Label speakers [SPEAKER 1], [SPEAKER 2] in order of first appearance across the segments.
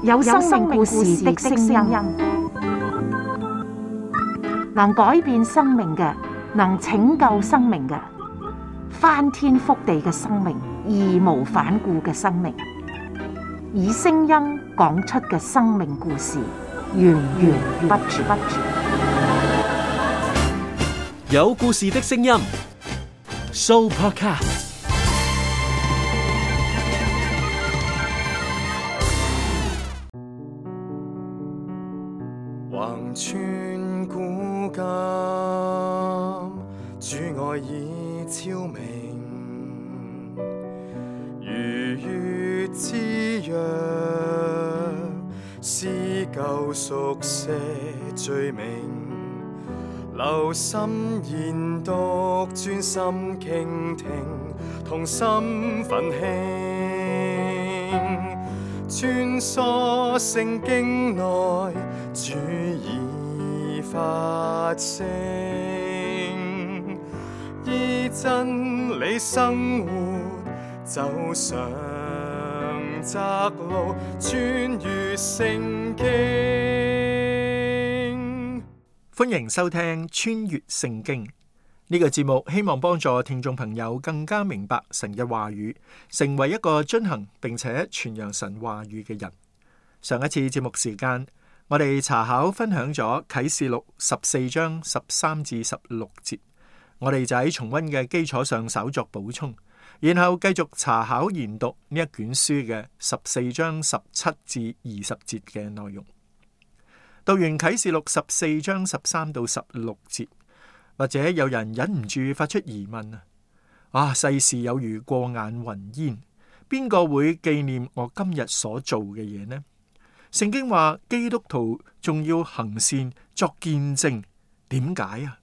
[SPEAKER 1] 有生命故事的聲音，能改變生命嘅，能拯救生命嘅，翻天覆地嘅生命，義無反顧嘅生命，以聲音講出嘅生命故事，源源不絕。
[SPEAKER 2] 有故事的聲音 ，Sooopodcast。
[SPEAKER 3] 橫穿古今，主愛已超明，如月之約，撕舊熟寫罪名，留心研讀，專心傾聽，同心奮興，穿梭聖經內，主已發聲，依真理生活，走上窄路，穿越聖經。
[SPEAKER 4] 歡迎收聽穿越聖經呢個節目，希望幫助聽眾朋友更加明白神嘅話語，成為一個遵行並且傳揚神話語嘅人。上一次節目時間，我哋查考分享咗啟示錄14章13至16節，我哋就喺重溫嘅基礎上稍作補充，然後繼續查考研讀呢一卷書嘅14章17至20節嘅內容。讀完啟示錄14章13到16節，或者有人忍唔住發出疑問世事有如過眼雲煙，邊個會紀念我今日所做嘅嘢呢？聖經話基督徒仲要行善作見證，點解啊？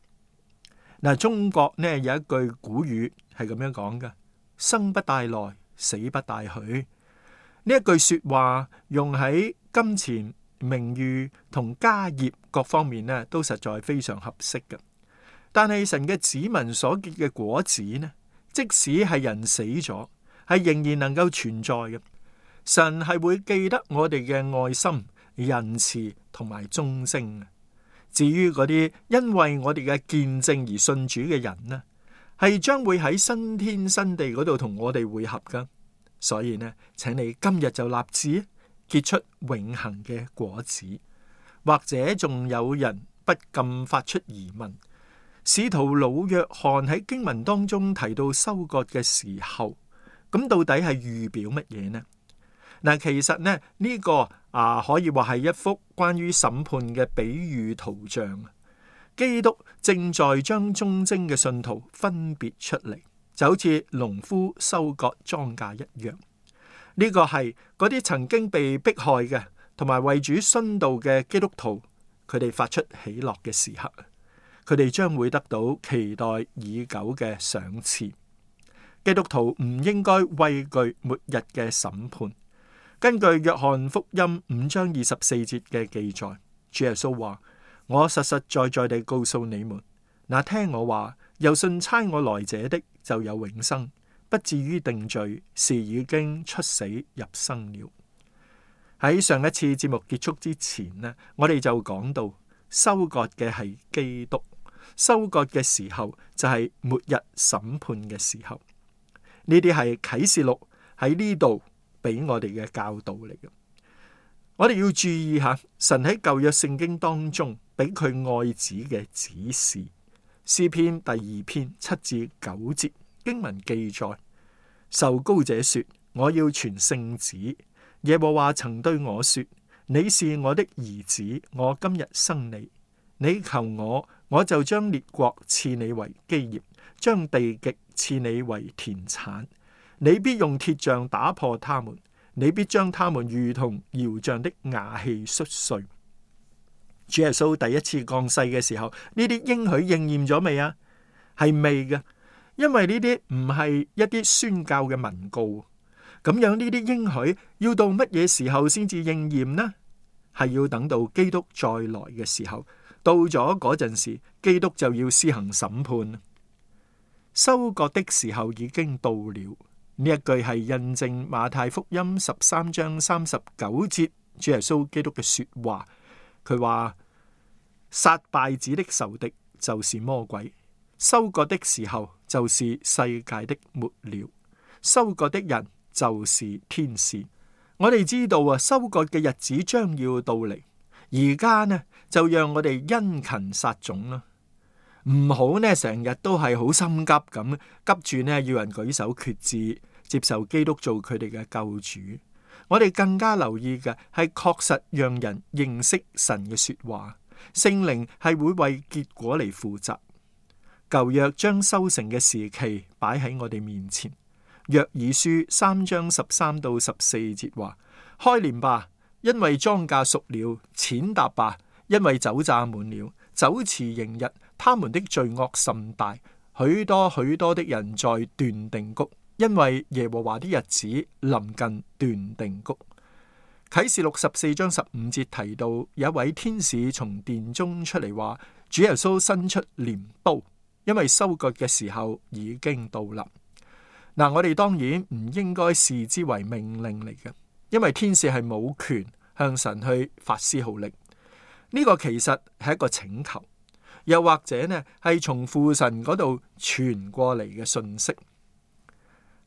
[SPEAKER 4] 嗱，中國呢有一句古語係咁樣講嘅：生不帶來，死不帶去。呢一句說話用喺金錢、名譽同家業各方面呢，都實在非常合適嘅。但係神嘅子民所結嘅果子呢，即使係人死咗，係仍然能夠存在嘅。神係會記得我哋嘅愛心、仁慈同埋忠貞。至於嗰啲因為我哋嘅見證而信主嘅人呢，係將會喺新天新地嗰度同我哋會合噶。所以呢，請你今日就立志結出永恆嘅果子。或者仲有人不禁發出疑問：使徒老約翰喺經文當中提到收割嘅時候，咁到底係預表乜嘢呢？嗱，其實呢，呢個可以話係一幅關於審判嘅比喻圖像。基督正在將忠貞嘅信徒分別出嚟，就好似農夫收割莊稼一樣。呢個係嗰啲曾經被迫害嘅同埋為主殉道嘅基督徒，佢哋發出喜樂嘅時刻，佢哋將會得到期待已久嘅賞賜。基督徒唔應該畏懼末日嘅審判。根據約翰福音5章24節嘅記載，主耶穌話：我實實在在地告訴你們，那聽我話又信差我來者的，就有永生，不至於定罪，是已經出死入生了。喺上一次節目結束之前呢，我哋就講到收割嘅係基督，收割嘅時候就係末日審判嘅時候。呢啲係啟示錄喺呢度俾我哋嘅教導嚟嘅。我哋要注意下，神喺舊約聖經當中俾佢愛子嘅指示。詩篇第2篇7至9節經文記載：受膏者說，我要傳聖旨。耶和華曾對我說，你是我的兒子，我今日生你。你求我，我就將列國賜你為基業，將地極賜你為田產。你必用鐵杖打破他們，你必將他們如同窯匠的瓦器摔碎。主耶穌第一次降世嘅時候，呢啲應許應驗咗未啊？係未嘅，因為呢啲唔係一啲宣教嘅文告。咁樣呢啲應許要到乜嘢時候先至應驗呢？係要等到基督再來嘅時候，到咗嗰陣時，基督就要施行審判。收割的時候已經到了，呢一句係印證馬太福音13章39節主耶穌基督嘅說話。佢話：殺稗子的仇敵就是魔鬼，收割的時候就是世界的末了，收割的人就是天使。我哋知道啊，收割嘅日子將要到嚟，而家呢就讓我哋殷勤撒種啦，唔好呢成日都係好心急咁，急住呢要人舉手決志接受基督做佢哋嘅救主。我哋更加留意嘅係確實讓人認識神嘅說話，聖靈係會為結果嚟負責。舊約將收成嘅時期擺喺我哋面前。約珥書3章13到14節話：開鐮吧，因為莊稼熟了；踐踏吧，因為酒榨滿了。酒池盈溢，他們的罪惡甚大，許多許多的人在斷定谷。因為耶和華的日子臨近斷定谷。啟示錄14章15節提到，有一位天使從殿中出嚟話：主耶穌伸出鐮刀，因為收割嘅時候已經到啦。嗱，我哋當然唔應該視之為命令嚟嘅，因為天使係冇權向神去發施號令。呢個其實係一個請求，又或者呢係從父神嗰度傳過嚟嘅信息。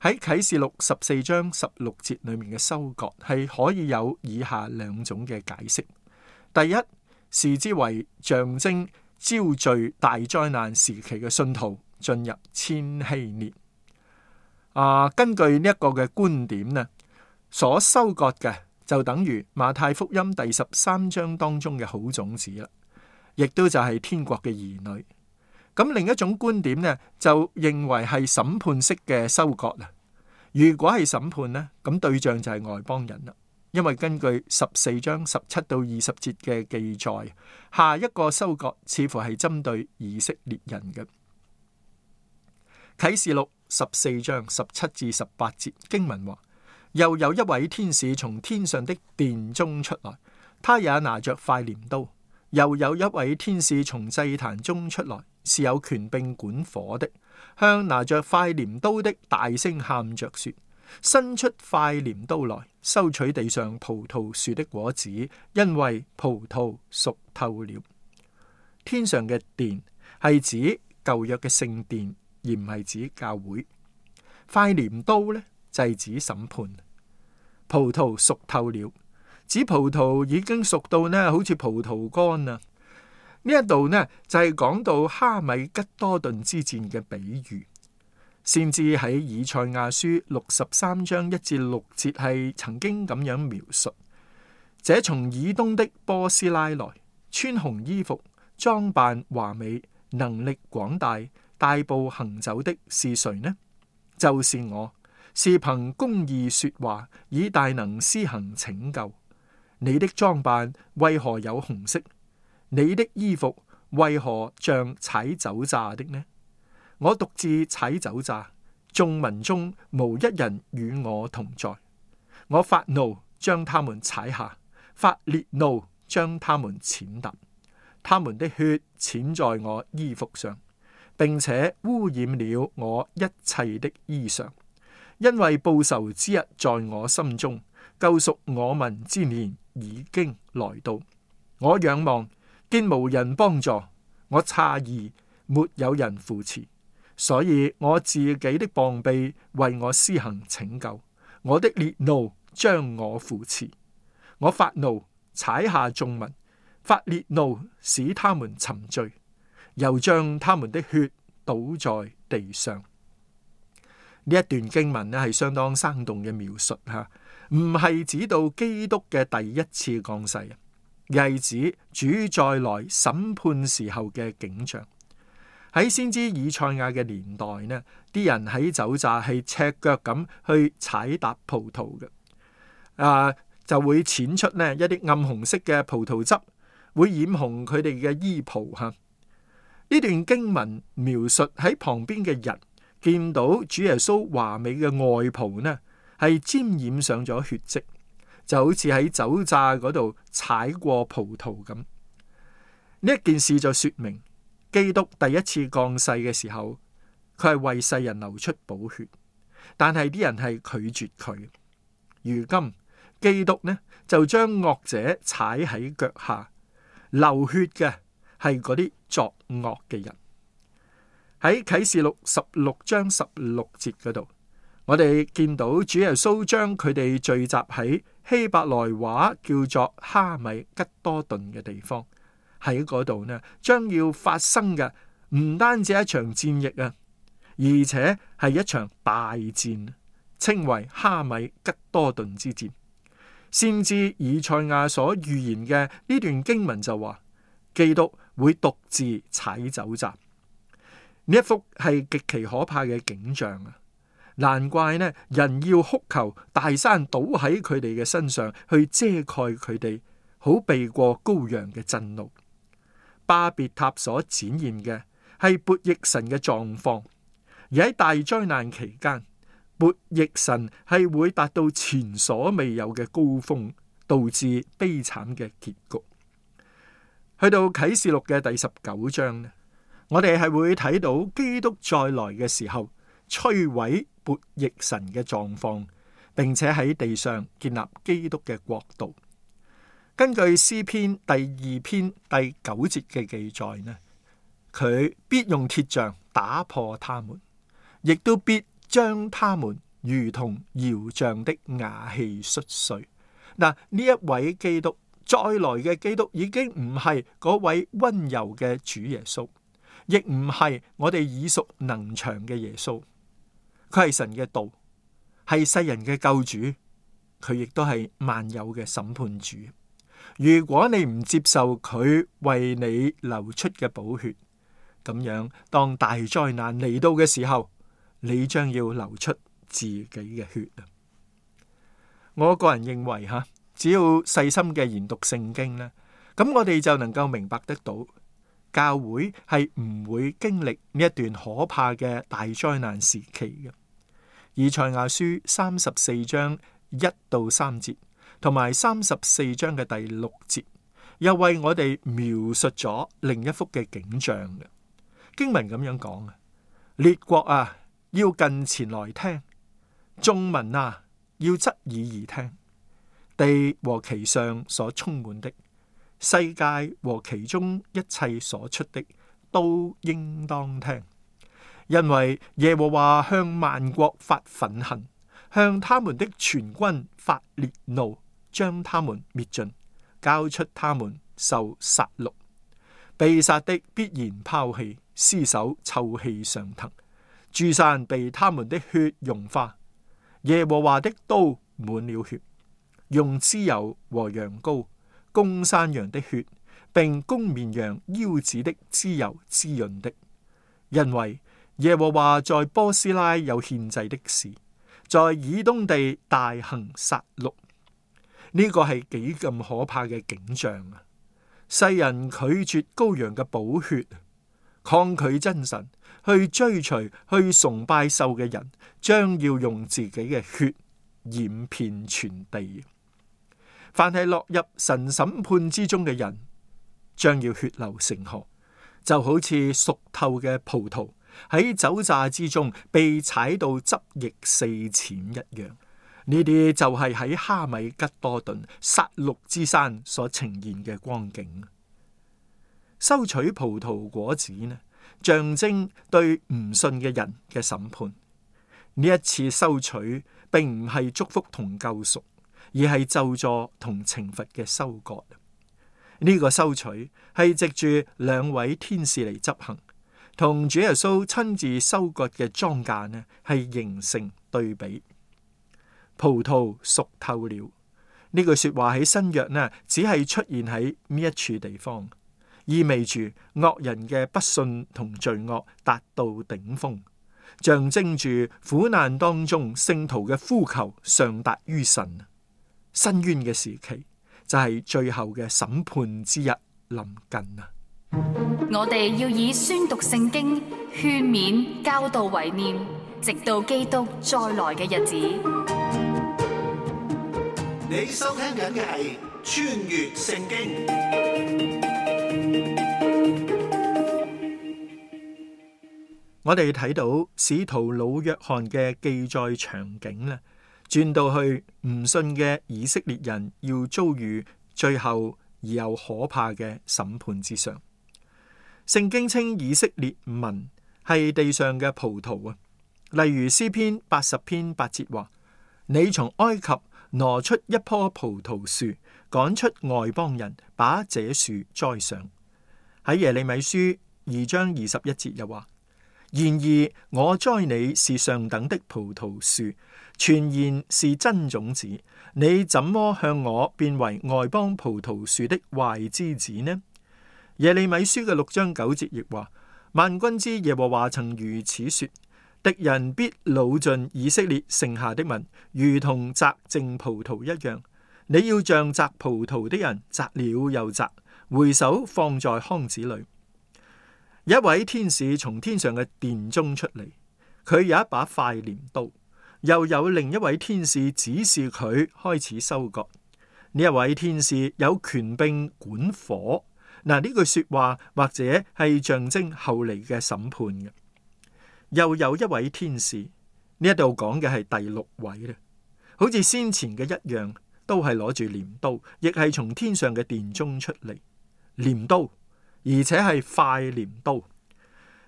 [SPEAKER 4] 喺啟示錄14章16節裏面嘅收割係可以有以下兩種嘅解釋。第一，視之為象徵招聚大災難時期嘅信徒進入千禧年。根據呢一個嘅觀點呢，所收割嘅就等於馬太福音第13章當中嘅好種子啦，亦都就係天國嘅兒女。咁另一種觀點呢，就認為係審判式嘅收割啦。如果係審判呢，咁對象就係外邦人啦。因為根據14章17到20節嘅記載，下一個收割似乎係針對以色列人嘅。啟示錄14章17至18節經文話：又有一位天使從天上的殿中出來，他也拿着塊鐮刀。又有一位天使從祭壇中出來，是有權柄管火的，向拿着塊鐮刀的大聲喊着說：伸出塊鐮刀來，收取地上葡萄樹的果子，因為葡萄熟透了。天上嘅殿係指舊約嘅聖殿，而唔係指教會。塊鐮刀呢，就係指審判。葡萄熟透了，指葡萄已經熟到呢，好似葡萄乾啊。呢一度呢，就係講到哈米吉多頓之戰嘅比喻。先至喺以賽亞書63章1至6節係曾經咁樣描述：這從以東的波斯拉來，穿紅衣服，裝扮華美，能力廣大，大步行走的是誰呢？就是我，是憑公義說話，以大能施行拯救。你的裝扮為何有紅色？你的衣服為何像踩酒榨的呢？我獨自踩酒榨，眾民中無一人與我同在。我發怒將他們踩下，發烈怒將他們踐踏。他們的血濺在我衣服上，並且污染了我一切的衣裳。因為報仇之日在我心中，救贖我民之年已經來到。我仰望，見無人幫助，我詫異，沒有人扶持。所以我自己的膀臂為我施行拯救，我的烈怒將我扶持。我發怒踩下眾民，發烈怒使他們沉醉，又將他們的血倒在地上。呢一段經文咧係相當生動嘅描述吓，唔係指到基督嘅第一次降世，而係指主再來審判時候嘅景象。喺先知以賽亞嘅年代呢，啲人喺酒榨係赤腳咁去踩踏葡萄嘅，就會濺出呢一啲暗紅色嘅葡萄汁，會染紅佢哋嘅衣袍吓。呢段經文描述喺旁邊嘅人見到主耶穌華美嘅外袍呢，係沾染上咗血跡，就好似喺酒榨嗰度踩過葡萄咁。呢一件事就說明，基督第一次降世嘅時候，佢係為世人流出寶血，但係啲人係拒絕佢。如今基督呢就將惡者踩喺腳下，流血嘅係嗰啲作惡嘅人。喺啟示錄16章16節嗰度，我哋見到主耶穌將佢哋聚集喺希伯來話叫做哈米吉多頓嘅地方。喺嗰度呢，將要發生嘅唔單止一場戰役啊，而且係一場大戰，稱為哈米吉多頓之戰。先知以賽亞所預言嘅呢段經文就話，基督會獨自踩酒醡。呢一幅係極其可怕嘅景象啊！難怪呢，人要哭求大山倒喺佢哋嘅身上，去遮蓋佢哋，好避過羔羊嘅震怒。巴別塔所展現嘅係悖逆神嘅狀況，而喺大災難期間，悖逆神係會達到前所未有嘅高峰，導致悲慘嘅結局。去到啟示錄嘅第19章呢，我哋係會睇到基督再來嘅時候，摧毀悖逆神嘅狀況，並且喺地上建立基督嘅國度。根據詩篇第2篇第9節嘅記載呢，佢必用鐵杖打破他們，亦都必將他們如同窯匠的瓦器摔碎。嗱，呢一位基督再來嘅基督已經唔係嗰位溫柔嘅主耶穌，亦唔係我哋耳熟能詳嘅耶穌。佢係神嘅道，係世人嘅救主，佢亦都係萬有嘅審判主。如果你唔接受佢為你流出嘅寶血，咁樣當大災難嚟到嘅時候，你將要流出自己嘅血啊！我個人認為只要細心嘅研讀聖經呢，咁我哋就能夠明白得到，教會係唔會經歷呢一段可怕嘅大災難時期嘅。以賽亞書34章1到3節，同埋34章嘅第6節，又為我哋描述咗另一幅嘅景象嘅經文咁樣講啊：列國啊，要近前來聽；眾民啊，要側耳而聽。地和其上所充滿的，世界和其中一切所出的，都應當聽。因為耶和華向萬國發憤恨，向他們的全軍發烈怒，將他們滅盡，交出他們受殺戮。被殺的必然拋棄，屍首臭氣上騰，諸山被他們的血融化。耶和華的刀滿了血，用脂油和羊羔、公山羊的血，並公綿羊腰子的脂油滋潤的。因為耶和華在波斯拉有獻祭的事，在以東地大行殺戮。呢個係幾咁可怕嘅景象啊！世人拒絕羔羊嘅寶血，抗拒真神，去追隨、去崇拜獸嘅人，將要用自己嘅血染遍全地。凡係落入神審判之中嘅人，將要血流成河，就好似熟透嘅葡萄喺酒榨之中被踩到汁液四濺一樣。呢啲就係喺哈米吉多頓殺戮之山所呈現嘅光景。收取葡萄果子呢，象徵對唔信嘅人嘅審判。呢一次收取並唔係祝福同救贖，而係咒詛同懲罰嘅收割。呢個收取係藉住兩位天使嚟執行，同主耶穌親自收割嘅莊稼呢，係形成對比。葡萄熟透了，呢句說話喺新約呢，只係出現喺呢一處地方，意味住惡人嘅不信同罪惡達到頂峰，象徵住苦難當中聖徒嘅呼求上達於神。申冤嘅時期就係最後嘅審判之日臨近啊！
[SPEAKER 5] 我哋要以宣讀聖經、勸勉、教導為念，直到基督再來嘅日子。
[SPEAKER 6] 你收聽緊嘅係穿越聖經。
[SPEAKER 4] 我哋睇到使徒老約翰嘅記載場景咧，轉到去唔信嘅以色列人要遭遇最後而又可怕嘅審判之上。聖經稱以色列民係地上嘅葡萄啊，例如詩篇80篇8節話：你從埃及挪出一棵葡萄樹，趕出外邦人，把這樹栽上。喺耶利米書2章21節又話：然而我栽你是上等的葡萄樹，全然是真種子，你怎麼向我變為外邦葡萄樹的壞枝子呢？耶利米書嘅6章9節亦話：萬軍之耶和華曾如此說，敵人必擄盡以色列剩下的民，如同摘淨葡萄一樣。你要像摘葡萄的人，摘了又摘，回手放在筐子裏。一位天使從天上嘅殿中出嚟，佢有一把快鐮刀，又有另一位天使指示佢開始收割。呢一位天使有權柄管火。嗱，呢句說話或者係象徵後嚟嘅審判嘅。又有一位天使，呢一度講嘅係第6位咧，好似先前嘅一樣，都係攞住鐮刀，亦係從天上嘅殿中出嚟，鐮刀，而且係快鐮刀。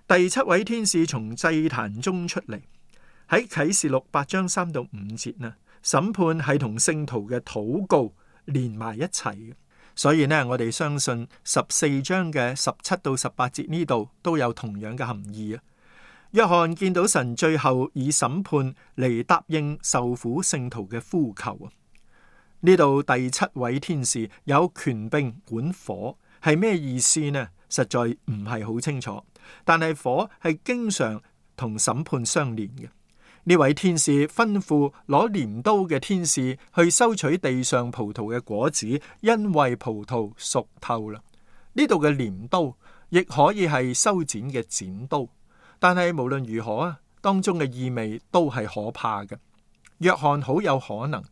[SPEAKER 4] 第7位天使從祭壇中出嚟，喺啟示錄8章3到5節呢，審判係同聖徒嘅禱告連埋一齊嘅。所以呢，我哋相信14章嘅17到18節呢度都有同樣嘅含義啊。約翰見到神最後以審判嚟答應受苦聖徒嘅呼求啊。呢度第7位天使有權柄管火，係咩意思呢？實在唔係好清楚，但係火係經常同審判相連嘅。呢位天使吩咐攞鐮刀嘅天使去收取地上葡萄嘅果子，因為葡萄熟透啦。呢度嘅鐮刀亦可以係修剪嘅剪刀，但係無論如何啊，當中嘅意味都係可怕嘅。約翰好有可能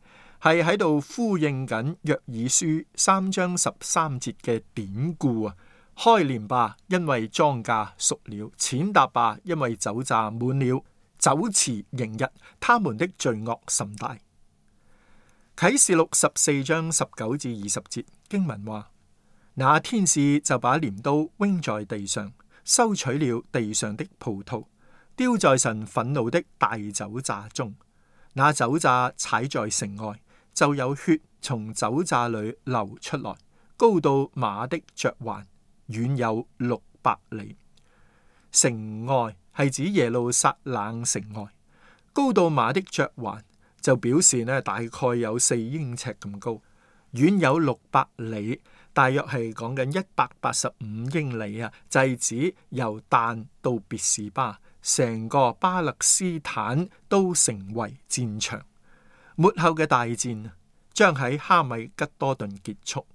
[SPEAKER 4] 係喺度呼應緊約珥書3章13節嘅典故啊！開鐮吧，因為莊稼熟了；踐踏吧，因為酒榨滿了。酒池盈溢，他們的罪惡甚大。啟示錄14章19至20節經文話：那天使就把鐮刀扔在地上，收取了地上的葡萄，丟在神憤怒的大酒榨中。那酒榨踩在城外，就有血從酒榨裏流出來，高到馬的嚼環，遠有600里。城外係指耶路撒冷城外，高到馬的嚼環就表示呢，大概有4英尺咁高，遠有600里，大約係講緊185英里啊，就係指由但到別是巴，成個巴勒斯坦都成為戰場。末後嘅大戰將喺哈米吉多頓結束。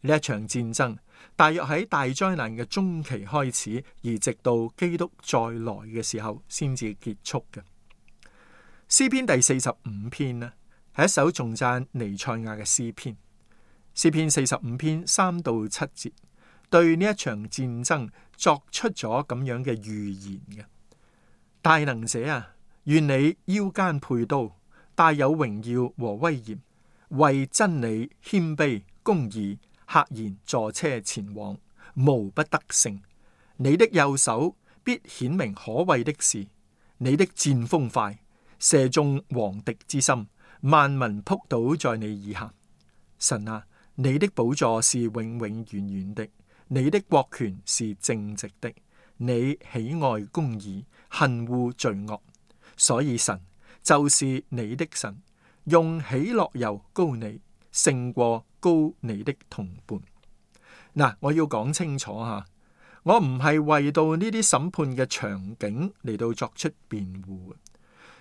[SPEAKER 4] 呢一場戰爭大約喺大災難嘅中期開始，而直到基督再來嘅時候先至結束嘅。詩篇第45篇呢，係一首頌讚彌賽亞嘅詩篇。詩篇45篇3到7節對呢一場戰爭作出咗咁樣嘅預言嘅。大能者啊，願你腰間佩刀，帶有榮耀和威嚴，為真理謙卑公義，赫然坐車前往，無不得勝。你的右手必顯明可畏的事，你的箭鋒快，射中王敵之心，萬民仆倒在你以下。神啊，你的寶座是永永遠遠的，你的國權是正直的，你喜愛公義，恨惡罪惡，所以神就是你的神，用喜樂油膏你，勝過膏你的同伴。嗱，我要講清楚吓，我唔係為到呢啲審判嘅場景嚟到作出辯護。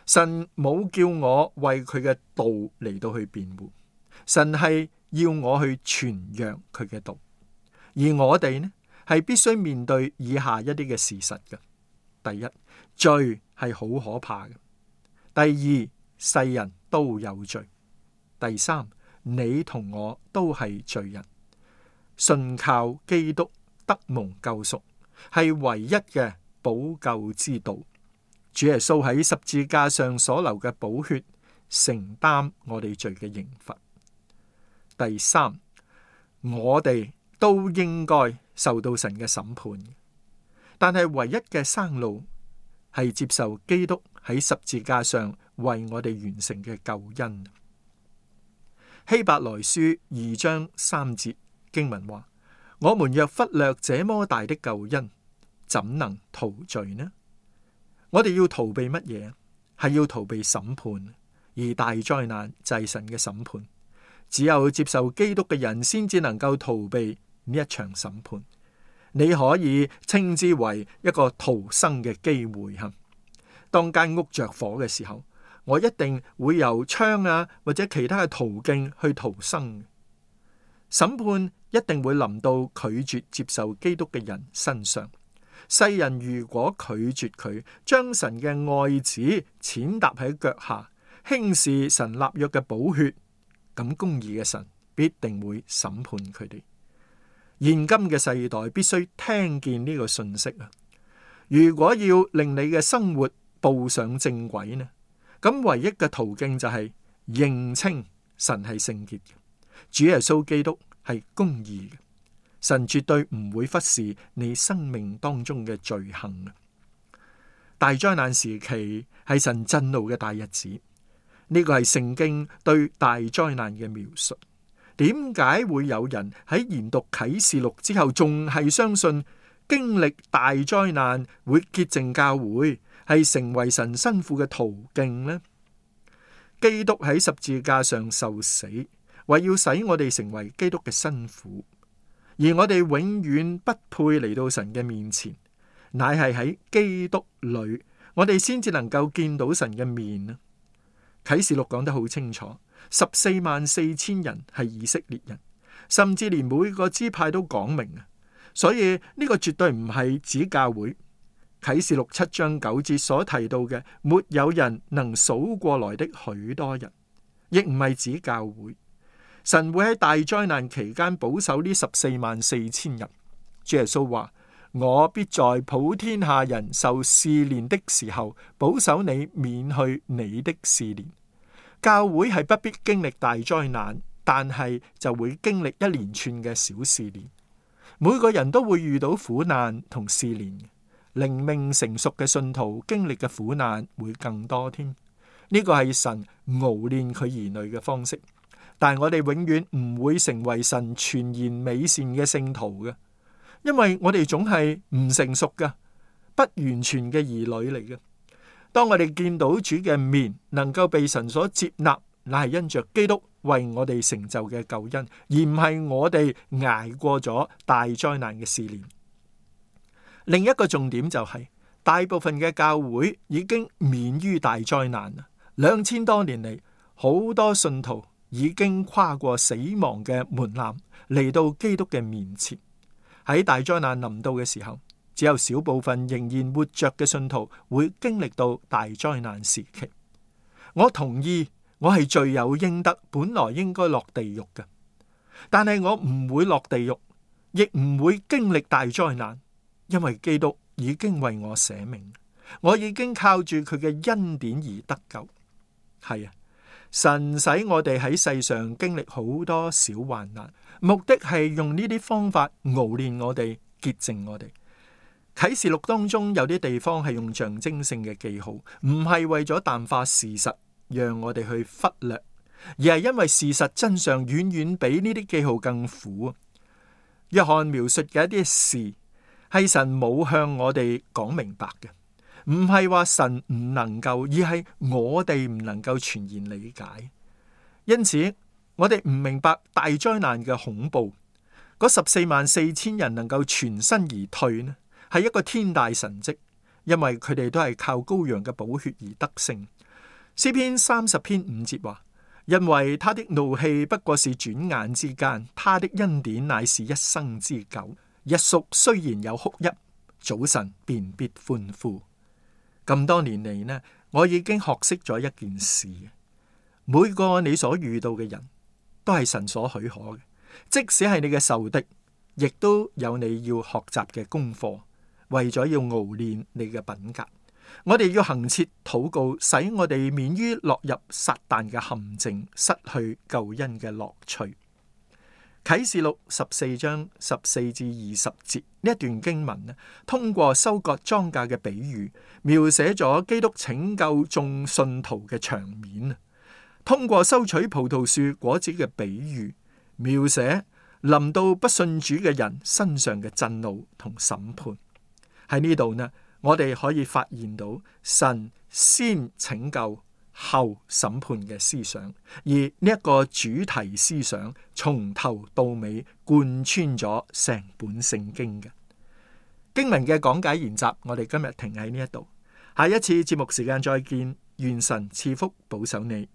[SPEAKER 4] 神冇叫我為佢嘅道嚟到去辯護，神係要我去傳揚佢嘅道，而我哋呢係必須面對以下一啲嘅事實嘅。第一，罪係好可怕嘅；第二，世人都有罪；第三，你同我都係罪人，信靠基督得蒙救贖係唯一嘅補救之道，主耶穌喺十字架上所流嘅寶血，承擔我哋罪嘅刑罰。第三，我哋都應該受到神嘅審判，但係唯一嘅生路係接受基督喺十字架上為我哋完成嘅救恩。希伯來書2章3節經文話：我們若忽略這麼大的救恩，怎能逃罪呢？我哋要逃避乜嘢？係要逃避審判，而大災難就係神嘅審判。只有接受基督嘅人先至能夠逃避呢一場審判。你可以稱之為一個逃生嘅機會。當間屋着火嘅時候，我一定會由窗或者其他嘅途徑去逃生。審判一定會臨到拒絕接受基督嘅人身上。世人如果拒絕佢，將神嘅愛子踐踏喺腳下，輕視神立約嘅寶血，咁公義嘅神必定會審判佢哋。現今嘅世代必須聽見呢個信息啊！如果要令你嘅生活步上正軌呢，咁唯一嘅途徑就係認清神係聖潔嘅，主耶穌基督係公義嘅，神絕對唔會忽視你生命當中嘅罪行。大災難時期係神震怒嘅大日子，呢個係聖經對大災難嘅描述。點解會有人喺研讀啟示錄之後，仲係相信經歷大災難會潔淨教會，係成為神新婦嘅途徑呢？基督喺十字架上受死，為要使我哋成為基督嘅新婦，而我哋永遠不配嚟到神嘅面前，乃係喺基督裏，我哋先至能夠見到神嘅面啊！啟示錄講得好清楚。144000人係以色列人，甚至連每個支派都講明啊，所以呢個絕對唔係指教會。啟示錄7章9節所提到嘅，沒有人能數過來的許多人，亦唔係指教會。神會喺大災難期間保守呢144000人。主耶穌話：我必在普天下人受試煉的時候，保守你免去你的試煉。教會係不必經歷大災難，但係就會經歷一連串嘅小試煉。每個人都會遇到苦難同試煉，靈命成熟嘅信徒經歷嘅苦難會更多添。呢個係神熬煉佢兒女嘅方式，但係我哋永遠唔會成為神全然美善嘅聖徒嘅，因為我哋總係唔成熟嘅、不完全嘅兒女嚟嘅。當我哋見到主嘅面，能夠被神所接納，乃係因着基督為我哋成就嘅救恩，而唔係我哋挨過咗大災難嘅試煉。另一個重點就係，大部分嘅教會已經免於大災難啦。2000多年嚟，好多信徒已經跨過死亡嘅門檻，嚟到基督嘅面前。喺大災難臨到嘅時候，只有少部分仍然活着嘅信徒會經歷到大災難時期。我同意，我係罪有應得，本來應該落地獄嘅，但係我唔會落地獄，亦唔會經歷大災難，因為基督已經為我捨命，我已經靠住佢嘅恩典而得救。係啊，神使我哋喺世上經歷好多小患難，目的係用呢啲方法熬煉我哋，潔淨我哋。啟示錄當中有啲地方係用象徵性嘅記號，唔係為咗淡化事實，讓我哋去忽略，而係因為事實真相遠遠比呢啲記號更苦。約翰描述嘅一啲事，係神冇向我哋講明白嘅，唔係話神唔能夠，而係我哋唔能夠全然理解。因此，我哋唔明白大災難嘅恐怖，嗰144000人能夠全身而退呢，係一個天大神蹟，因為佢哋都係靠羔羊嘅寶血而得勝。詩篇30篇5節話：因為他的怒氣不過是轉眼之間，他的恩典乃是一生之久。日宿雖然有哭泣，早晨便必歡呼。咁多年嚟呢，我已經學識咗一件事，每個你所遇到嘅人都係神所許可嘅，即使係你嘅仇敵，亦都有你要學習嘅功課。為咗要熬煉你嘅品格，我哋要恆切禱告，使我哋免於落入撒旦嘅陷阱，失去救恩嘅樂趣。啟示錄14章14至20節呢一段經文呢，通過收割莊稼嘅比喻，描寫咗基督拯救眾信徒嘅場面。通過收取葡萄樹果子嘅比喻，描寫臨到不信主嘅人身上嘅震怒同審判。喺呢度呢，我哋可以發現到神先拯救後審判嘅思想，而呢一個主題思想從頭到尾貫穿咗成本聖經嘅經文嘅講解研習。我哋今日停喺呢一度，下一次節目時間再見，願神賜福保守你。